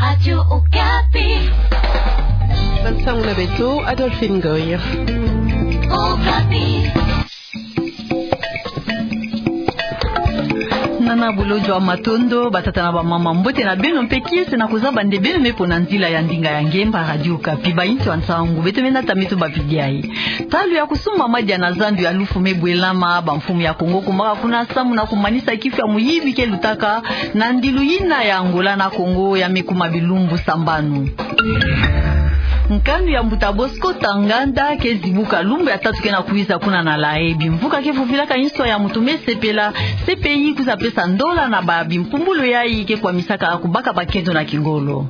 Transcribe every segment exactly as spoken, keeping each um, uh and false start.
Radio Okapi. Bansangu na beto, Adolphine Goy. Okapi. Nana bolodjwa matondo, batata na bamama, mbote na beno mpe kiese na kozaba nde beno me pona nzila ya ndinga ya ngemba Radio Okapi. Bainso ya nsangu, beto me nata me tubapidi yayi. Ntalu ya kosumba madia na zandu ya lufu me bwelama, bamfumu ya Kongo kumaka kuna samu na kumanisa kifu ya muyibi ke lutaka na ndilu yina ya Angola na Congo ya me kuma bilumbu sambanu. Nkanu ya mbuta Bosco Tanganda ke zibuka lumbu ya tatu ke na kwiza kuna na La Haye. Bimvuka ke vuvilaka inso ya mutu me sepela, C P I kwiza pesa ndola na ba bimpumbulu yayi ke kwamisaka kubaka bakento na kingolo.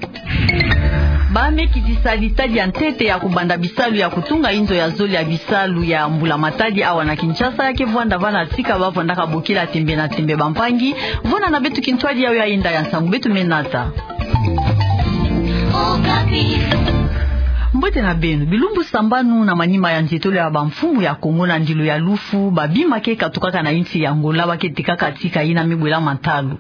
Ba me kitisa litadi ya ntete ya kubanda bisalu ya kutunga inzo ya zole ya bisalu ya mbula matadi awa na Kinshasa ya ke vwanda va na tika ba vwandaka bokila tembe na tembe bampangi. Vona na beto kintwadi yawu ya yenda ya nsangu beto me nata. Mbote na beno, bilumbu sambanu na manima ya nzietolo ya bamfumu ya Kongo na ndilu ya lufu, babima ke katukaka na insi ya Angola ba ke tekaka tika yina me bwelama ntalu.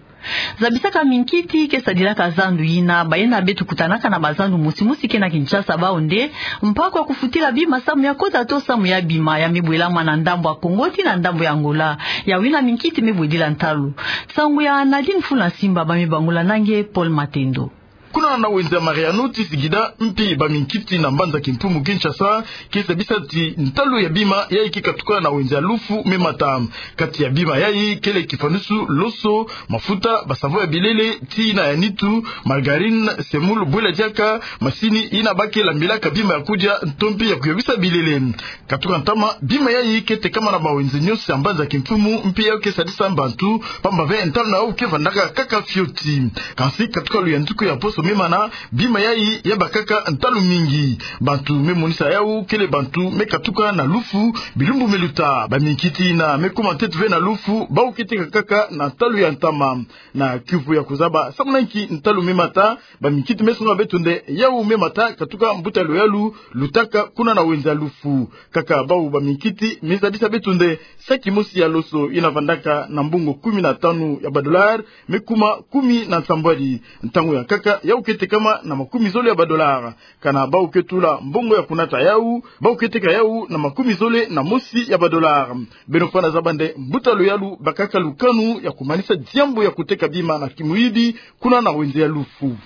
Zabisaka minkiti ke sadilaka zandu yina, baye na beto kutanaka na bazandu mosi mosi ke na Kinshasa, bawu nde mpaku ya kufutila bima samu ya kota to samu ya bima ya me bwelama na ndambu ya Kongo ti na ndambu ya Angola, yawu yina minkiti me bwedila ntalu. Nsangu ya Nadine Fula Simba, ba me bangula na nge Paul Matendo. Kuna na wenze ya Mariano ti Singida, mpi baminkiti na mbanza kimpumu Kinshasa ke zabisa ti ntalu ya bima yayi ke katuka na wenze ya lufu me mata. Kati ya bima yayi kele kifanusu, loso, mafuta, basavo ya bilele, ti na ya nitu, margarine, semoule, bwela diaka, masini yina ba ke lambilaka bima ya kudia, nto mpi ya kuyokisa bilele. Katuka ntama, bima yayi ke tekama na bawenze nyonso ya mbanza kimpumu, mpi yawu ke sadisa bantu, pamba ve ntalu na yawu ke vandaka kaka fioti. Kansi katuka luyanduku ya poso me mana, bima yayi ya bakaka ntalu mingi. Bantu me monisa yawu kele bantu me katuka na lufu, bilumbu me luta. Baminkiti yina me kuma ntete ve na lufu, bawu ke teka kaka na ntalu ya ntama. Na kiuvu ya kuzaba samu na nki ntalu me mata, baminkiti me songa beto nde yawu me mata katuka mbuta luyalu lutaka kuna na wenze ya lufu. Kaka bawu baminkiti me zabisa beto nde saki mosi ya loso yina vandaka na mbongo kumi na tanu ya badolari, me kuma kumi na nsambwadi. Ntangu ya nkaka, yawu ke tekama na makumi zole ya badolari. Kana bawu ke tula mbongo ya kunata yawu, bawu ke teka yawu na makumi zole na mosi ya badolari. Beno fwana zaba nde mbuta luyalu bakaka lukanu ya kumanisa diambu ya kuteka bima na kimuyibi kuna na wenze ya lufu.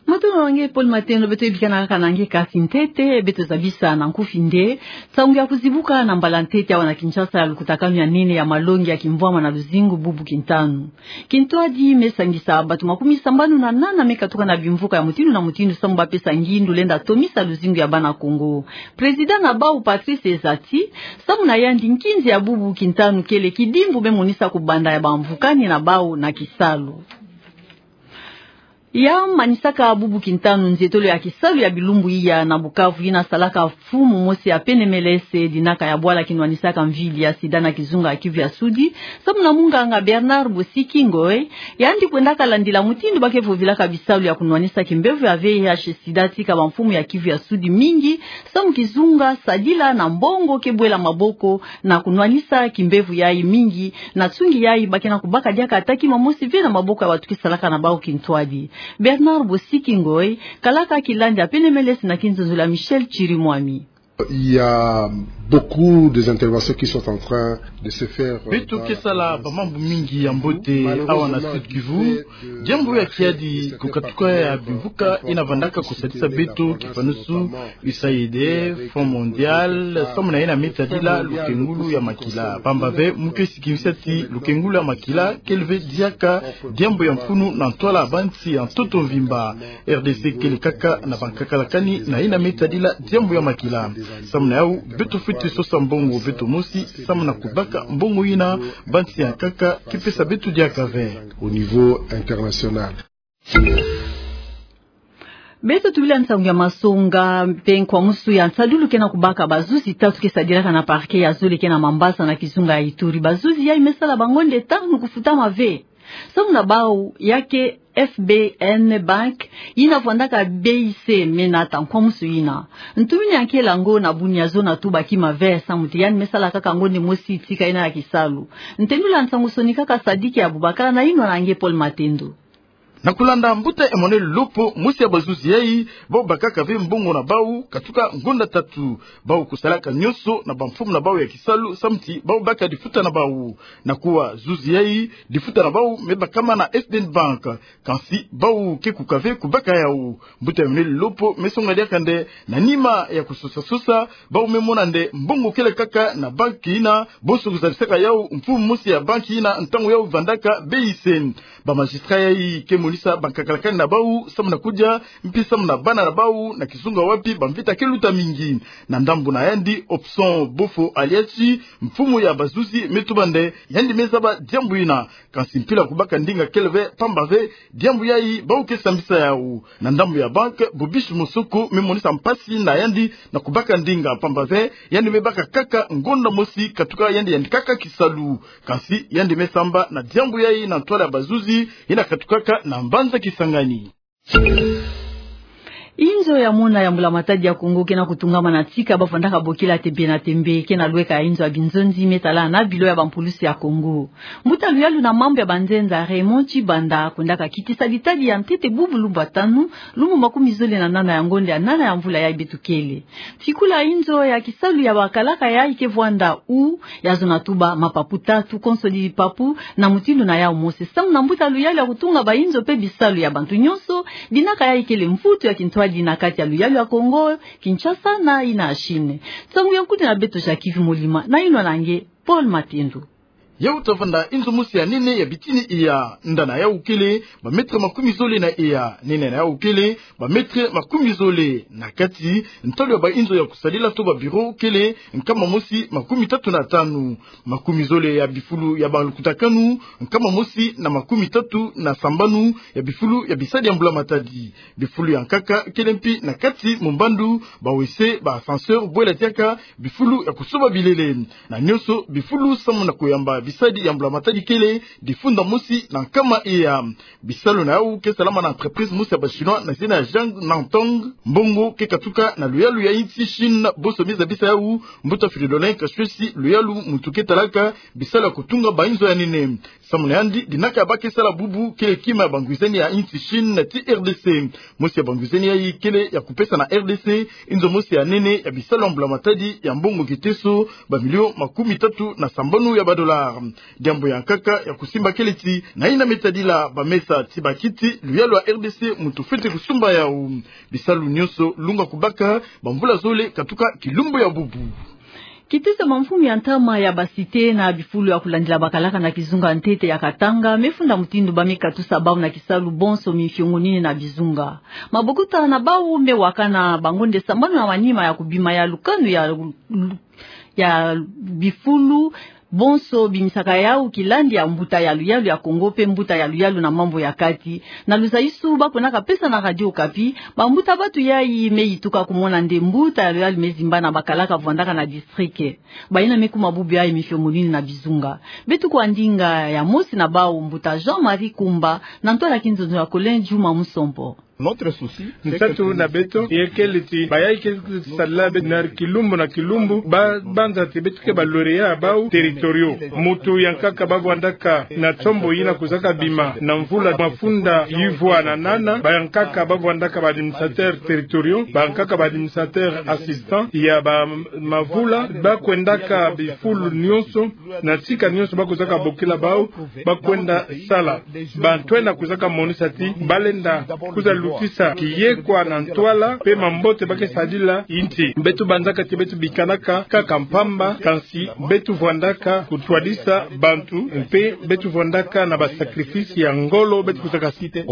Matondo na nge Paul Matendo, beto yebikana kaka na nge kasi ntete, beto zabisa na nkufi nde nsangu ya kuzibuka na mbala ntete awa na Kinshasa ya lukutakanu ya nene ya malongi ya kimvwama na luzingu bubu kintanu. Kintwadi me sangisa bato makumi sambanu na nana me katuka na bimvuka ya mutindu na mutindu samu ba pesa ngindu lenda tomisa luzingu ya bana Kongo. Président na bawu Patrice Ezati, samu na yandi nkinzi ya bubu kintanu kele kidimbu me monisa kubanda ya bamvukani na bawu na kisalu. Ya manisaka bubu kintanu nzietolo ya kisalu ya bilumbu iya na Bukavu yina salaka mfumu mosi ya P N M L S, dinaka ya bwala kinwanisaka mvili ya sida na kizunga ya Kivu ya Sudi, samu na munganga Bernard Bosiki Ngoy, yandi kwendaka landila mutindu ba ke vovilaka bisalu ya kunwanisa kimbevo ya V I H sida tika bamfumu ya Kivu ya Sudi mingi, samu kizunga sadila na mbongo ke bwela maboko na kunwanisa kimbevo yayi mingi, na nsungi yayi ba ke na kubaka diaka ata kima mosi ve na maboko ya bato ke salaka na bawu kintwadi. Bernard Bosiki Ngoy kalaka kilandi ya P N M L S na kinzonzolo ya Michel Chirimwami. Il y a beaucoup des interventions qui sont en train de se faire, euh, beto ke sala bamambu mingi ya mbote awa na Sud Kivu. Diambu ya kiadi, kukatuka ya bimvuka yina vandaka kusadisa beto, kifanusu U S A I D, Fonds Mondial, samu na yina me tadila lukengulu ya makila. Pamba ve mu ke sikimisa ti lukengulu ya makila kele ve diaka diambu ya mfunu na ntwala bansi ya ntoto mvimba. R D C kele kaka na bankaka lakani na yina me tadila diambu ya makila. Samu na yawu, beto fwete sosa mbongo beto mosi samu na kubaka mbongo yina bansi ya nkaka ke pesa beto diaka ve. Au niveau international. Beto tubila nsangu ya masonga mpe nkwamusu ya nsadulu ke na kubaka bazuzi tatu ke sadilaka na parquet ya zole ke na Mambasa na kizunga ya Ituri. Bazuzi yayi me sala bango nde tanu kufutama ve. Samu na bawu, ya ke F B N Bank, yina vwandaka B I C, me nata nkwamusu yina. Ntumini ya nkela ngo na bunia zo na tuba kima ve samu ti yandi me sala kaka ngo nde mosi tika yina ya kisalu. Ntendula nsangu soni kaka Sadiki Abubakar na yinwa na nge Paul Matendo. Na kulanda mbuta Emmanuel Lopo, mosi ya bazuzi yayi, bau bakaka ve mbongo na bau katuka ngonda tatu. Bau kusalaka nyonso na bamfumu na bau ya kisalu, samu ti bau baka difuta na bau. Na kuwa zuzi yayi, difuta na bau me bakama na S D N Bank. Kansi bau ke kuka ve kubaka yau. Mbuta Emmanuel Lopo me songa diaka nde, na nima ya kusosa-sosa, bau me mona nde mbongo kele kaka na banki yina, bonso kuzabisaka yau mfumu mosi ya banki yina ntangu yau vandaka B I C. Ba magistrat yayi ke monisa bankakalakani na bau samu na kudia, mpi samu na bana na bau, na kizunga wapi bamvita ke luta mingi. Na ndambu na yandi, Hobson Bofo Aliachi, mfumu ya bazuzi, me tuba nde yandi me zaba diambu yina. Kansi mpila kubaka ndinga kele ve, pamba ve diambu yayi bau ke sambisa yau. Na ndambu ya bank, Bobiche Mosoko me monisa mpasi na yandi na kubaka ndinga, pamba ve yandi me baka kaka ngonda mosi katuka yandi yandikaka kisalu. Kansi yandi me samba na diambu yayi na ntwala ya bazuzi yina katukaka na mbanza Kisangani. Inzo ya mona ya Mbula Matadi ya Kongo ke na kutungama na tika bavandaka bokila tembe na tembe, ke na lweka ya inzo ya binzonzi me tala na bilo ya bampulusi ya Kongo. Mbuta luyalu na mambu ya banzenza Raymond Tshibanda kwendaka kitisa ditadi ya ntete bubu lumbu ya tanu, lumbu makumi zole na nana ya ngonda ya nana ya mvula yayi beto kele. Fikula inzo ya kisalu ya bakalaka yayi ke vwanda U, ya zona tuba mapapu tatu, konso di papu na mutindu na yau mose. Samu na mbuta luyalu ya kutunga bainzo pe bisalu ya bantu nyonso, dinaka yayi kele mvutu ya kintwadi na kati ya luyalu ya Kongo Kinshasa na yina ya Chine. Nsangu ya nkutu na beto Jacques Molima, na yinwa na nge Paul Matendo. Yau tavanda inzo mosi ya nene ya bitini eya, nda na yau kele ba mètre makumi zole na eya, nene na yau kele ba mètre makumi zole na kati. Ntalu ya bainzo ya kusadila to ba bureau kele nkama mosi makumi tatu na tanu. Makumi zole ya bifulu ya balukutakanu, nkama mosi na makumi tatu na sambanu ya bifulu ya bisadi ya Mbula Matadi. Bifulu ya nkaka kele mpi na kati, mombandu, ba W C, ba ascenseur, bwela diaka, bifulu ya kusoba bilele. Na nyonso bifulu samu na kuyamba bisadi ya Mbula Matadi kele difunda mosi na nkama eya. Bisalu na yau ke salama na entreprise mosi ya ba Chinois na zina ya Zhang Nantong. Mbongo ke katuka na luyalu ya insi Chine, bonso me zabisa yau mbuta Fridolin Kashwesi, luyalu muntu ke talaka bisalu ya kutunga bainzo ya nene. Samu na yandi, dinaka ya ba ke sala bubu kele kima ya bangwizani ya insi Chine na ti R D C. Mosi ya bangwizani yayi kele ya kupesa na R D C inzo mosi ya nene ya bisalu ya Mbula Matadi ya mbongo kiteso ba million makumi tatu na sambanu ya ba dollars. Diambu ya nkaka ya kusimba kele ti na yina me tadila ba mesa ti ba kiti, luyalu ya R D C muntu fwete kusumba yau. Bisalu nyonso lunga kubaka bamvula zole katuka kilumbu ya bubu. Kitusa mamfumu ya ntama ya ba cité na bifulu ya kulandila bakalaka na kizunga ntete ya Katanga me funda mutindu ba me katusa bau na kisalu bonso mifiongo nini na bizunga. Mabokota na bau me wakana bangonde sambanu na manima ya kubima ya lukanu ya, ya bifulu bonso bimisaka yau kilandi ya mbuta ya luyalu ya Kongo pe mbuta ya luyalu na mambu ya kati. Na luzaisu ba kwendaka pesa na Radio Okapi, bambuta batu yayi me yituka kumona nde mbuta ya luyalu me zimba na bakalaka vwandaka na district. Bayina me kuma bubu yayi mifiongo nini na bizunga. Beto kuwa ndinga ya mosi na bau, mbuta Jean-Marie Kumba, na ntwala kinzonzo ya Colin Juma Musompo. Nsatu na beto, ye kele ti bayayi ke sadila beto na kilumbu na kilumbu, ba banza ti beto ke ba lauréats ya bau territoriaux. Mutu ya nkaka ba vwandaka na tombo yina kuzaka bima na mvula mafunda yivwa na nana, ba ya nkaka ba vwandaka ba administrateurs territoriaux, ba ya nkaka ba administrateurs assistants ya ba mavula, ba kwendaka bifulu nyonso, na tika nyonso ba kuzaka bokila bau, ba kwenda sala. Bantu yina kuzaka monisa ti ba lenda kwiza lutisa kiyekwa na ntwala pe mambote ba ke sadila insi. Beto banzaka ti beto bikanaka kaka mpamba, kansi beto vwandaka kutwadisa bantu, mpe beto vwandaka na ba sacrifices ya ngolo, beto kuzaka site.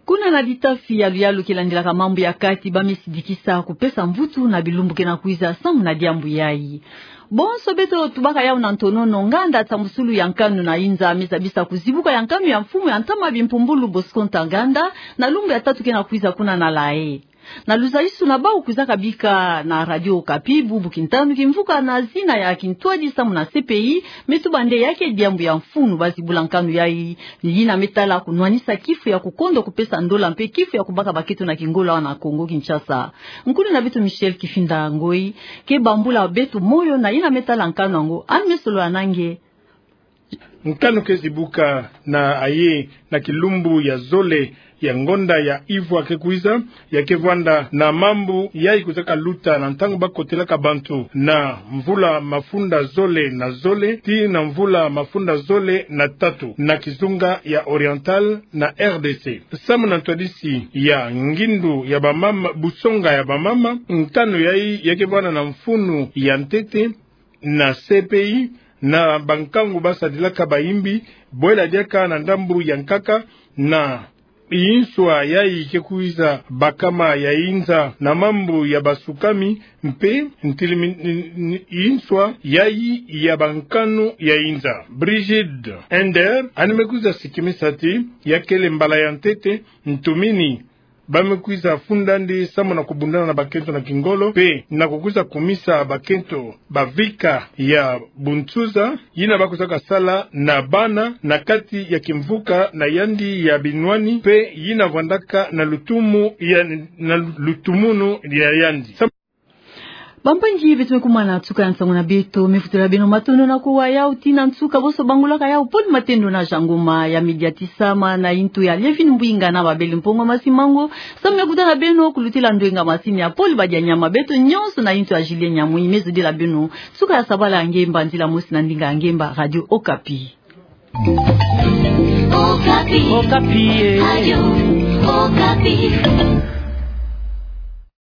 Kuna na litafi ya luyalu ke landilaka mambu ya kati, ba me sidikisa kupesa mvutu na bilumbu ke na kwiza samu na diambu yayi. Bonso beto tubaka yau na ntonono, nganda nsambusulu ya nkanu na inza me zabisa kuzibuka ya nkanu ya mfumu ya ntama bimpumbulu Bosco Ntaganda, na lumbu ya tatu ke na kwiza kuna na La Haye. Na luzaisu na bau kuzaka bika na Radio Okapi bubu kintanu kimvuka na zina ya kintwadi samu na C P I, me tuba nde ya ke diambu ya mfunu ba zibula nkanu yayi, yina me tala kunwanisa kifu ya kukondwa kupesa ndola mpe kifu ya kubaka bakento na kingolo awa na Kongo Kinshasa. Nkulu na beto Michel Kifinda Ngoi ke bambula beto moyo na yina me tala nkanu yango, yandi me solola na nge. Nkanu kezi buka na aye na kilumbu ya zole ya ngonda ya ivwa ke kwiza, ya ke vwanda na mambu yayi kwizaka luta na ntangu ba kotelaka bantu na mvula mafunda zole na zole tii na mvula mafunda zole na tatu na kizunga ya Oriental na R D C. Samu na ntwadisi ya ngindu ya bamama, busonga ya bamama, nkanu yayi ya ke vwanda na mfunu ya ntete na C P I, na bankangu ba sadilaka bayimbi, bwela diaka na ndambu ya nkaka, na yinswa yayi ke kwiza bakama ya inza na mambu ya basukami, mpe ntilimi-, n-, n-, yinswa yayi ya bankanu ya inza. Brigitte Ender, ani me kwiza sikimisa ti ya kele mbala ya ntete ntumini ba me kwiza funda ndi samu na kubundana na bakento na kingolo, mpe na kukwiza kumisa bakento bavika ya bunsuza, yina ba kwizaka sala na bana na kati ya kimvuka na yandi ya binwani, mpe yina vwandaka na lutumu ya, na lutumunu ya yandi. Sam- Bampangi beto me kumana nsuka ya nsangu na beto, me futela beno matondo na kuwa yau tii na nsuka, boso bangulaka yau Paul Matendo na Jean Ngoma, ya me diatisama na intu ya Lievine Mbwinga na Babele Mpungu Masimango. Samu ya kutana beno, kulutila ndwenga masini ya Paul Badianyama, beto nyonso na intu ya Julien Nyamwinyi, me zodila beno nsuka ya sabala ya ngemba, nzila mosi na ndinga ya ngemba, Radio Okapi. Okapi. Okapi, eh. Radio Okapi.